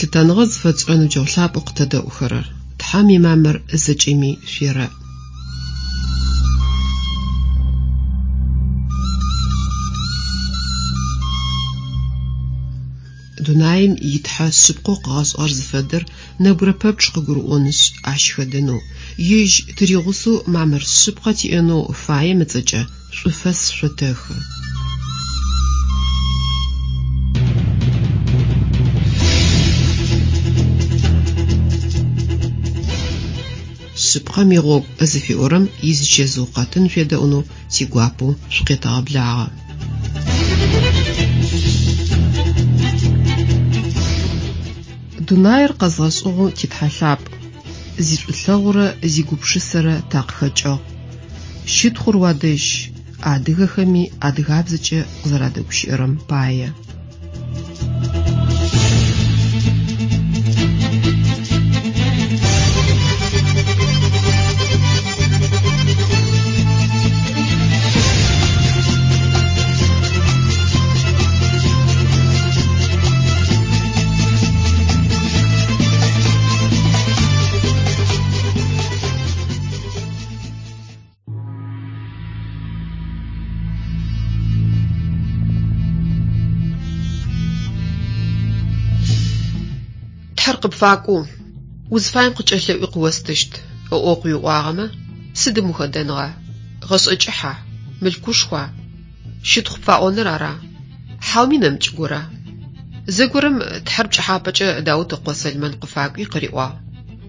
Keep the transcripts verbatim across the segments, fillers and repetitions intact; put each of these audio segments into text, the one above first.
Лъытэныгъэ зыфэтшӏырэ ныбджэгъу лъапӏэу къытэдэӏухэрэр, Тхьэм имамыр зэкӏэми шъуерэӏ. Дунаим итхьэ шъыпкъэу къыгъэшӏыгъэр зыфэдэр нэбгырэ пэпчъ къыгурыӏонышъ ащ хэдэнэу, ежь тыригъусэу мамыр шъыпкъэ тиӏэнэу фаем ыцӏэкӏэ шӏуфэс шъотэхы. Шъыпкъэм игъогу зыфиӏорэм изычэзыу къэтын шъуедэӏунэу тигуапэу шъукъетэгъэблагъэ. Дунаир къэзгъэшӏыгъэу титхьэ лъапӏ, зишӏулъэгъурэ зигупшысэрэ такъыхэкӏыгъ. Щытхъур уадэжь, адыгэхэми адыгабзэкӏэ къызэрадэгущыӏэрэм пае. Тхьэр къыпфакӏоу, узфаем къыкӏэлъэӏуи къыостыщт, ыӏоу къыуиӏуагъэмэ, сыдым ухэдэныгъа? Гъэшӏэ кӏыхьа? Мылъкушхуа? Щытхъу пфаӏоныр ара? Хьауми нэмыкӏ гора? Зэгорэм Тхьэр пкӏыхьапӏэкӏэ Даут ыкъо Сэлмэн къыфакӏуи къыриӏуагъ: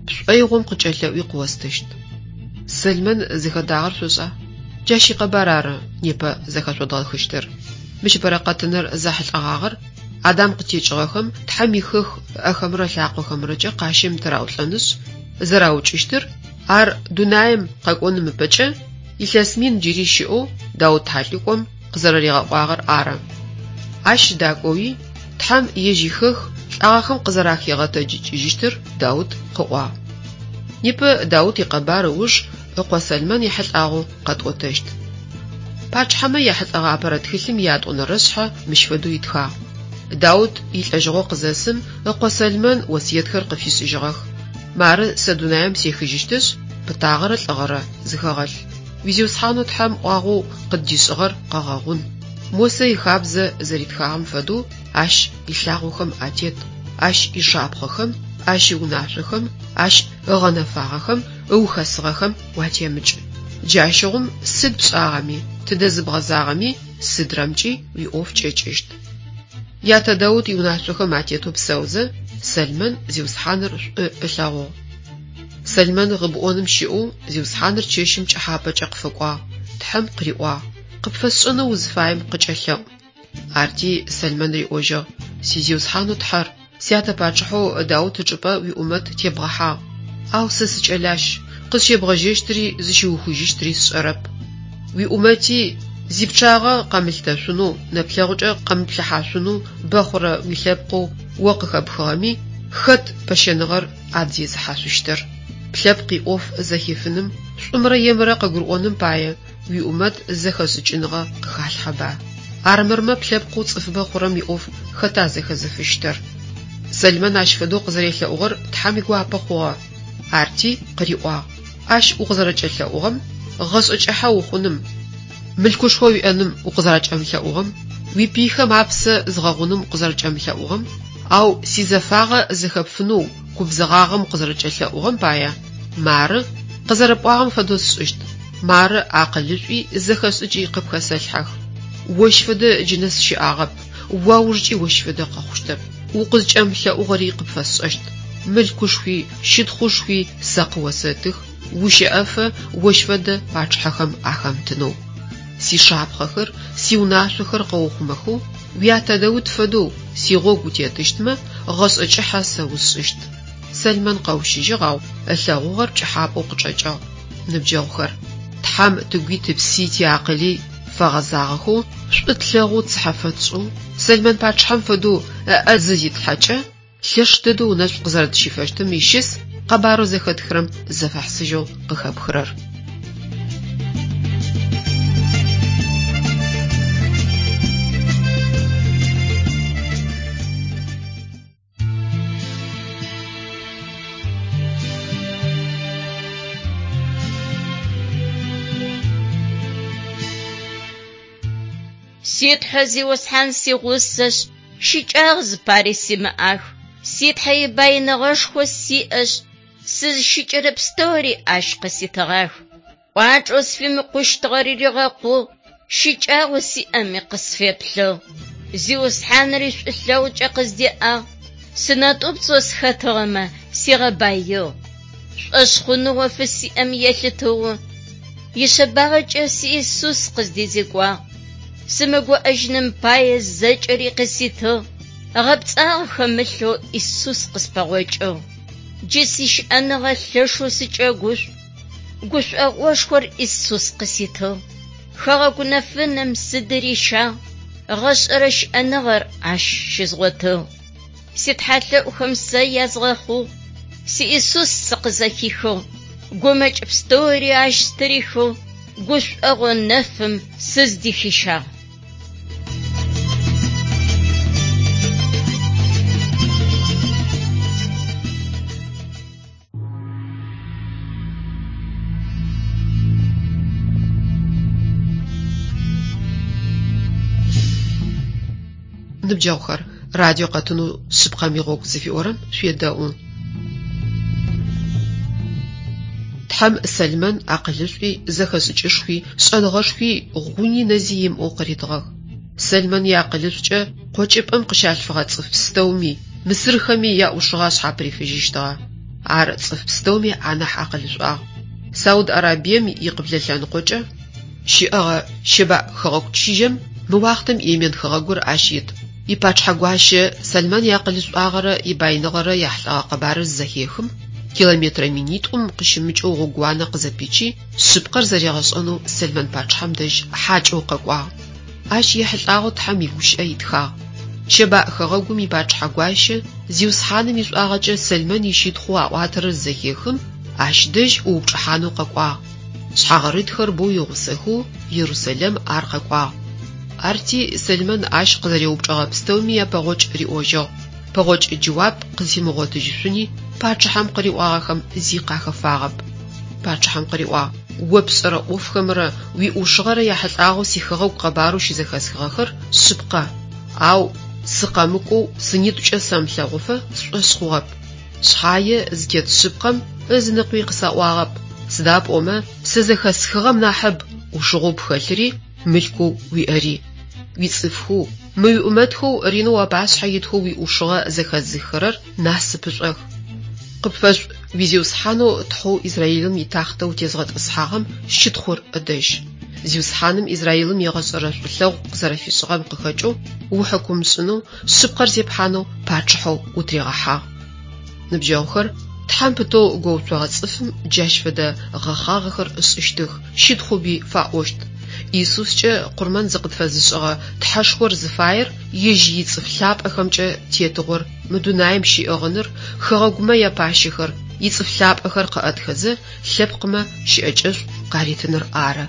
«Пшӏоигъом къыкӏэлъэӏуи къыостыщт». Сэлмэн зыхэдагъэр шъошӏа? Джащ икъэбар ары непэ зэхэшъодгъэхыщтыр. Мыщ бэрэкъэтыныр зэхьылӏэгъагъэр Адам къытекӏыгъэхэм Тхьэм ихэх ыӏэхэмрэ лъакъохэмрэкӏэ къащым тыраӏулӏэнышъ, зэраукӏыщтыр, ар дунаим къэкӏоным ыпэкӏэ илъэс мин джыри щыӏэу Даут тхьэлӏыкӏом къызэрэригъэӏуагъэр ары. Ащ дакӏоуи Тхьэм ежь ихэх лӏагъэхэм къызэрахигъэтэджыкӏыжьыщтыр Даут къыӏуагъ. Непэ Даут икъэбар ыуж ыкъо Сэлмэн ехьылӏагъэу къэтӏотэщт. Пачъыхьэмэ яхьылӏэгъэ апэрэ тхылъым иятӏонэрэ шъхьэ мыщ фэдэу итхагъ. Даут илӏэжьыгъо къызэсым ыкъо Сэлмэн осыетхэр къыфишӏыжьыгъэх. Мары сэ дунаим сехыжьыщтышъ, пытагъэрэ лӏыгъэрэ зыхэгъэлъ. Уизиусхьанэу Тхьэм ӏуагъэу къыддишӏыгъэр къэгъэгъун. Мосэ ихабзэ зэритхагъэм фэдэу ащ илъагъохэм атет, ащ ишапхъэхэм, ащ иунашъохэм, ащ ыгъэнэфагъэхэм, ыухэсыгъэхэм уатемыкӏ. Джащыгъум сыд пшӏагъэми, тыдэ зыбгъэзагъэми, сыдрэмкӏи уиӏоф кӏэкӏыщт. Ятэ Даут иунашъохэм атетэу псэузэ, Сэлмэн Зиусхьаныр шӏу ылъэгъугъ. Сэлмэн Гъыбӏоным щыӏэу Зиусхьаныр чэщым пкӏыхьапӏэкӏэ къыфэкӏуагъ, Тхьэм къыриӏуагъ: «Къыпфэсшӏэнэу узыфаем къыкӏэлъэӏу». Арти Сэлмэн риӏожьыгъ: «Си Зиусхьанэу Тхьэр, сятэ пачъыхьэу Даут ычӏыпӏэ уиӏумэт тебгъэхьагъ. Ау сэ сыкӏэлащ, къызщебгъэжьэщтыри зыщыухыжьыщтыри сшӏэрэп. Уиӏумэти зипчъагъэ къэмылъытэшъунэу, нэплъэгъукӏэ къэмыплъыхьашъунэу бэ хъурэ уилъэпкъэу о къыхэпхыгъэми хэт пэщэныгъэр адызезыхьашъущтыр? Плъэпкъ иӏоф зэхифыным, шӏумрэ емрэ къыгурыӏоным пае уиӏумэт зэхэшӏыкӏыныгъэ къыхалъхьэба. Армырмэ плъэпкъэу цӏыфыбэ хъурэм иӏоф хэта зэхэзыфыщтыр?» Сэлмэн ащ фэдэу къызэрелъэӏугъэр Тхьэм игуапэ хъугъэ. Арти къыриӏуагъ: «Ащ укъызэрэкӏэлъэӏугъэм, гъэшӏэ кӏыхьэ ухъуным, мылъкушхо уиӏэным укъызэрэкӏэмылъэӏугъэм, уипыйхэм апсэ згъэгъуным укъызэрэкӏэмылъэӏугъэм, ау сизэфагъэ зэхэпфынэу губзыгъагъэм укъызэрэкӏэлъэӏугъэм пае, мары, къызэрэпӏуагъэм фэдэу сшӏыщт, мары акъылышӏуи зэхэшӏыкӏи къыпхэсэлъхьэх. Ощ фэдэ джы нэс щыӏагъэп, уаужкӏи ощ фэдэ къэхъущтэп. Укъызкӏэмылъэӏугъэри къыпфэсшӏэщт. Мылъкушхуи, щытхъушхуи сэ къыосэтых, ущэӏэфэ ощ фэдэ пачъыхьэхэм ахэмытынэу. Сишапхъэхэр, сиунашъохэр къэухъумэхэу, уятэ Даут фэдэу сигъогу утетыщтмэ, гъэшӏэ кӏыхьэ сэ усшӏыщт». Сэлмэн къэущыжьыгъ, ау ылъэгъугъэр пкӏыхьапӏэу къычӏэкӏыгъ. Ныбджэгъухэр, Тхьэм тыгуи тыпси тиакъыли фэгъэзагъэхэу, шӏу тлъэгъоу цыхьэ фэтшӏэу, Сэлмэн пачъыхьэм фэдэу ыӏэ зызитлъхьэкӏэ, лъэш дэдэу ынэшӏу къызэрэтщифэщтым ищыс къэбарэу зэхэтхырэм зэфэхьысыжьэу къыхэпхырэр. Си Тхьэ Зиусхьан сигъусэшъ, щыкӏагъэ зыпари симыӏах. Си Тхьэ ибаиныгъэшхо сиӏэшъ, сызщыкӏэрэ пстэури ащ къыситыгъах. Кӏуачӏэу сфимыкъущтыгъэр ригъэкъугъ, щыкӏагъэу сиӏэми къысфеплъыгъ. Зиусхьаныр ишӏулъэгъукӏэ къыздеӏагъ, сынэтӏупцӏэу схэтыгъэмэ сигъэбаигъ. Шӏошъхъуныгъэу фысиӏэм елъытыгъэу ишъэбагъэкӏэ си Исус къыздезекӏуагъ. Сымыгуӏэжьыным пае зэкӏэри къыситыгъ, гъэпцӏагъэ хэмылъэу Исус къыспэгъокӏыгъ. Джы сищыӏэныгъэ лъэшэу сыкӏэгушӏу, гушӏогъошхор Исус къыситыгъ. Хэгъэгу нэфынэм сыдырищагъ, гъэшӏэрэ щыӏэныгъэр ащ щызгъотыгъ. Ситхьэлъэӏухэм сэ язгъэхъугъ, си Исус сыкъызэхихыгъ, гумэкӏ пстэури ащ стырихыгъ, гушӏогъо нэфым сыздыхищагъ. Ныбджэгъухэр, радио къэтынэу шъыпкъэм игъогу зыфиӏорэм шъуедэӏу. Тхьэм Сэлмэн акъылышӏуи, зэхэшӏыкӏышхуи, шӏэныгъэшхуи гъуни нэзи имыӏэу къыритыгъэх. Сэлмэн иакъылышӏукӏэ къокӏыпӏэм къыщалъфыгъэ цӏыф пстэуми, мысырхэми яӏушыгъэ ашъхьапырифыжьыщтыгъэ. Ар цӏыф пстэуми анахь акъылышӏуагъ. Сауд Арабием икъыблэ лъэныкъокӏэ щыӏэгъэ Щэбаӏ хэгъэгу чыжьэм мы уахътэм Йемен хэгъэгур ащ ит. Ипачъыхьэ гуащэ Сэлмэн иакъылышӏуагъэрэ ибаиныгъэрэ яхьылӏэгъэ къэбарыр зызэхехым, километрэ минитӏум къыщымыкӏэу гъогууанэ къызэпичи, шъыпкъэр зэригъэшӏэнэу Сэлмэн пачъыхьэм дэжь хьакӏэу къэкӏуагъ. Ащ ехьылӏагъэу Тхьэм игущыӏэ итхагъ. Щэбаӏ хэгъэгум ипачъыхьэ гуащэ Зиусхьаным ишӏуагъэкӏэ Сэлмэн ищытхъоу аӏуатэрэр зызэхехым, ащ дэжь ӏуупчӏыхьанэу къэкӏуагъ. Шъхьагъырытхэр боу игъусэхэу Ерусэлэм ар къэкӏуагъ. Арти Сэлмэн ащ къызэреупчӏыгъэ пстэуми япэгъокӏ риӏожьыгъ. Пэгъокӏ джэуап къызфимыгъотыжьышъуни пачъыхьэм къыриӏуагъэхэм зи къахэфагъэп. Пачъыхьэм къыриӏуагъ: «О пшӏэрэ ӏофхэмрэ уиӏушыгъэрэ яхьылӏагъэу сихэгъэгу къэбарэу щызэхэсхыгъэхэр шъыпкъэ, ау сыкъэмыкӏоу сынитӏукӏэ сэмылъэгъуфэ сшӏошъ хъугъэп. Шъхьае зытет шъыпкъэм ызыныкъуи къысаӏуагъэп, сыда пӏомэ сэ зэхэсхыгъэм нахьыб ӏушыгъэу пхэлъыри мылъкоу уиӏэри. Уицӏыфхэу, мы уиӏумэтхэу ренэу уапашъхьэ итхэу уиӏушыгъэ зэхэзыххэрэр насыпышӏох. Къыпфэшӏу уи Зиусхьанэу Тхьэу Израилым итахътэ утезгъэтӏысхьагъэм щытхъур ыдэжь. Зиусхьаным Израилым егъэшӏэрэ шӏулъэгъу къызэрэфишӏыгъэм къыхэкӏэу ухьыкумышӏынэу, шъыпкъэр зепхьанэу пачъыхьэу утригъэхьагъ». Ныбджэгъухэр, Тхьэм пытэу гоуцогъэ цӏыфым джащ фэдэ гъэхъагъэхэр ышӏыщтых, щытхъуби фаӏощт. Исускӏэ къурмэн зыкъытфэзышӏыгъэ Тхьэшхор зыфаер ежь ицӏыф лъапӏэхэмкӏэ тетыгъор мы дунаим щиӏыгъыныр, хэгъэгумэ япащэхэр, ицӏыф лъапӏэхэр къыӏэтхэзэ, лъэпкъмэ щыӏэкӏэшӏу къаритыныр ары.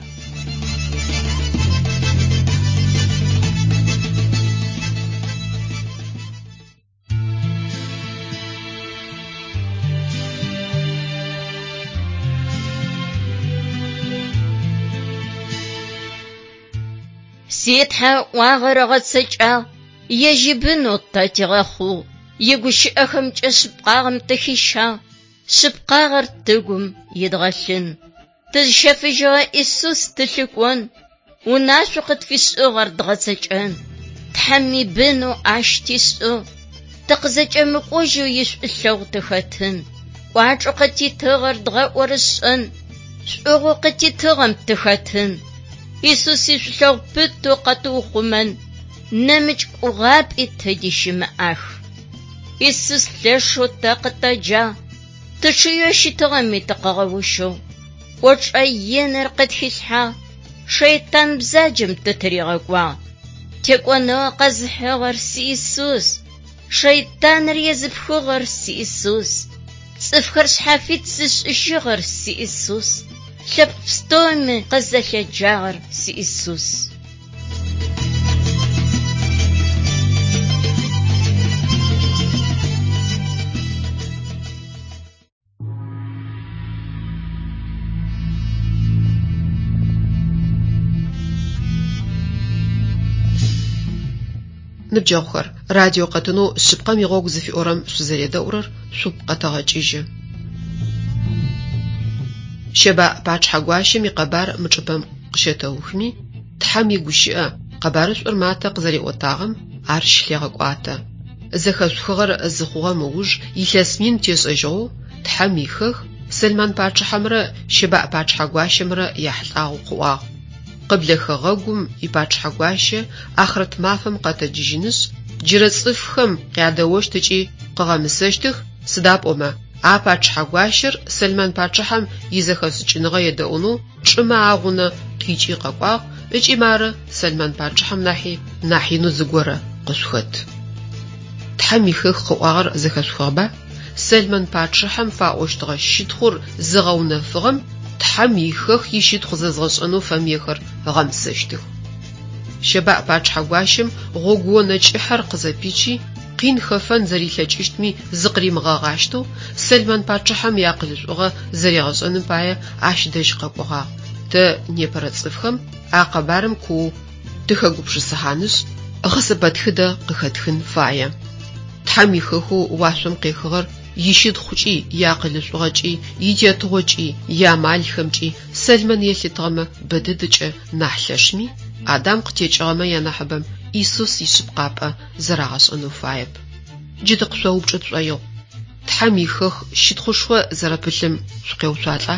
Си Тхьэ ыӏуагъэр ыгъэцэкӏагъ, ежь ибынэу тэ тигъэхъугъ, игущыӏэхэмкӏэ шъыпкъагъэм тыхищагъ, шъыпкъагъэр тыгум идгъэлъын. Тызщэфыжьыгъэ Исус тылъыкӏон, унашъоу къытфишӏыгъэр дгъэцэкӏэн. Тхьэм ибынэу ащ тишӏыгъ, тыкъызэкӏэмыкӏожьэу ишӏулъэгъу тыхэтын. Кӏуачӏэу къытитыгъэр дгъэӏорышӏэн, шӏугъэу къытитыгъэм тыхэтын. Исус ишӏулъэгъу пытэу къэтыухъумэн, нэмыкӏ гугъапӏи тэди щымыӏах. Исус лъэшэу тэ къытэджагъ, тычъыеу щытыгъэми тыкъыгъэущыгъ. Кӏочӏэ иныр къытхилъхьагъ, шэйтан бзаджэм тытыригъэкӏуагъ. Текӏоныгъэ къэзыхьыгъэр си Исус, шэйтаныр езыпхыгъэр си Исус, цӏыфхэр шъхьафит зышӏыжьыгъэр си Исус, лъэпкъ пстэуми къызэлъэджагъэр си Исус. Ныбджэгъухэр, радио къэтынэу «Шъыпкъэм игъогу» зыфиӏорэм шъузэредэӏурэр шъугу къэтэгъэкӏыжьы. Щэбаӏ пачъыхьэ гуащэм икъэбар мы чӏыпӏэм къыщэтэухыми, Тхьэм игущыӏэ, къэбарышӏур Матэ къызэриӏотагъэм ар щылъегъэкӏуатэ. Зэхэшъухыгъэр зыхъугъэм ыуж илъэс мин тешӏэжьыгъэу Тхьэм ихэх Сэлмэн пачъыхьэмрэ Щэбаӏ пачъыхьэ гуащэмрэ яхьылӏагъэу къыӏуагъ. Къыблэ хэгъэгум ипачъыхьэ гуащэ ахърэт мафэм къэтэджыжьынышъ, джырэ цӏыфхэм къядэощт ыкӏи къыгъэмысэщтых, сыда пӏомэ, а пачъыхьэ гуащэр Сэлмэн пачъыхьэм изэхэшӏыкӏыныгъэ едэӏунэу чӏымэ агъунэ къикӏи къэкӏуагъ ыкӏи мары Сэлмэн пачъыхьэм нахьи нахь инэу зыгорэ къышъухэт. Тхьэм ихэх къыӏуагъэр зэхэшъухыгъэба? Сэлмэн пачъыхьэм фаӏощтыгъэ щытхъур зыгъэунэфыгъэм Тхьэм ихэх ищытхъу зэзгъэшӏэнэу фэмыехэр ыгъэмысэщтых. Щэбаӏ пачъыхьэ гуащэм гъогуонэ кӏыхьэр къызэпичи, къин хэфэн зэрилъэкӏыщтми зыкъыримыгъэгъащтэу, Сэлмэн пачъыхьэм иакъылышӏугъэ зэригъэшӏэным пае ащ дэжь къэкӏогъагъ. Тэ непэрэ цӏыфхэм а къэбарым куоу тыхэгупшысыхьанышъ, гъэсэпэтхыдэ къыхэтхын фае. Тхьэм ихэхэу уашъом къехыгъэр ищытхъукӏи, иакъылышӏугъэкӏи, итетыгъокӏи, иамалхэмкӏи Сэлмэн елъытыгъэмэ бэ дэдэкӏэ нахь лъэшми, Адам къытекӏыгъэмэ янахьыбэм Исус ишъыпкъапӏэ зэрагъэшӏэнэу фаеп. Джы тыкъышъоупчӏы тшӏоигъу. Тхьэм ихэх щытхъушхо зэрэпылъым шъукъеуцуалӏа?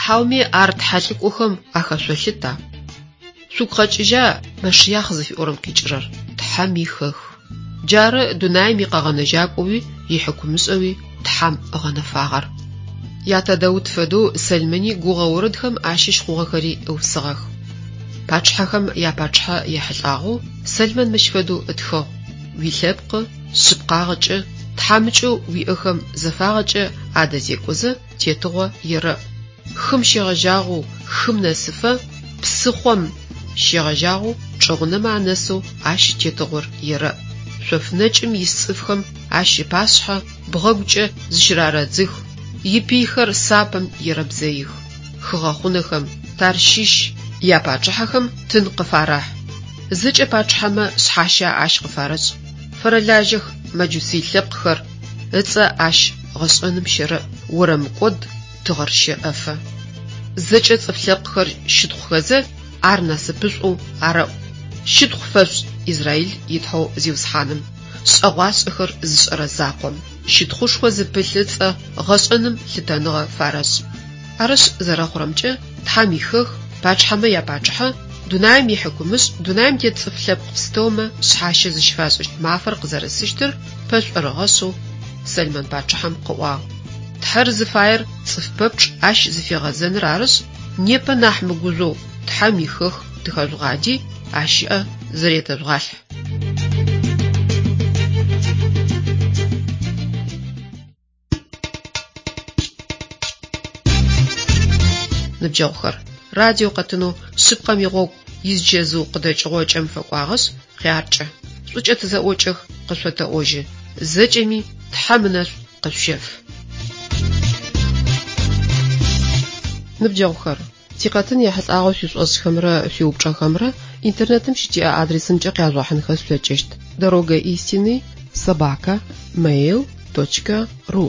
Хьауми ар тхьэлӏыкӏохэм ахэшъолъыта? Шъугу къэкӏыжьа Мэшыяхъ зыфиӏорэм къикӏырэр? Тхьэм ихэх. Джары дунаим икъэгъэнэжьакӏоуи ихьыкумышӏэуи Тхьэм ыгъэнэфагъэр. Ятэ Даут фэдэу Сэлмэни гугъэ орэдхэм ащыщ хъугъэхэри ыусыгъэх. Пачъыхьэхэм япачъыхьэ ехьылӏагъэу Сэлмэн мыщ фэдэу ытхыгъ: «Уилъэпкъы шъыпкъагъэкӏэ, тхьамыкӏэу уиӏэхэм зэфагъэкӏэ адэзекӏозэ тетыгъо ерэӏ. Хым щегъэжьагъэу хым нэсыфэ, псыхъом щегъэжьагъэу чӏыгъунэмэ анэсэу ащ тетыгъор ерэӏ. Шъоф нэкӏым ис цӏыфхэм ащ ыпашъхьэ бгъэгукӏэ зыщырарэдзых, ипыйхэр сапэм ерэбзэих. Хыгъэхъунэхэм, Тарщыщ япачъыхьэхэм тын къыфарэхь. Зэкӏэ пачъыхьэмэ шъхьащэ ащ къыфарэшӏ. Фэрэлажьэх мэджусый лъэпкъхэр, ыцӏэ ащ гъэшӏэным щэрэӏ, орэмыкӏод тыгъэр щэӏэфэ. Зэкӏэ цӏыф лъэпкъхэр щытхъухэзэ ар насыпышӏоу арэӏу. Щытхъу фэшъушӏ Израиль итхьэу Зиусхьаным, шӏэгъуашӏэхэр зышӏэрэ закъом, щытхъушхо зыпылъ ыцӏэ гъэшӏэным лъытэныгъэ фарэшӏ. Арышъ зэрэхъурэмкӏэ, Тхьэм ихэх, пачъыхьэмэ япачъыхьэ, дунаим ихьыкумышӏ, дунаим тет цӏыф лъэпкъ пстэумэ шъхьащэ зыщыфашӏыщт мафэр къызэрэсыщтыр пэшӏорыгъэшъэу Сэлмэн пачъыхьэм къыӏуагъ. Тхьэр зыфаер цӏыф пэпчъ ащ зыфигъэзэныр арышъ, непэ нахь мыгужъоу Тхьэм ихэх тыхэжъугъади, ащ ыӏэ зэретэжъугъалъхь. Ныбджэгъухэр, радио къэтынэу шъыпкъэм игъогу изчэзыу къыдэкӏыгъо кӏэм фэкӏуагъэшъ, хъяркӏэ. Шӏукӏэ тызэӏокӏэх, къышъотэӏожьы. Зэкӏэми Тхьэм ынэшӏу къышъущэф. Ныбджэгъухэр, тикъэтын ехьылӏагъэу шъуишӏошӏхэмрэ шъуиупчӏэхэмрэ интернетым щытиӏэ адресымкӏэ къяжъугъэхьынхэ шъулъэкӏыщт: дорога истины собака mail точка ру.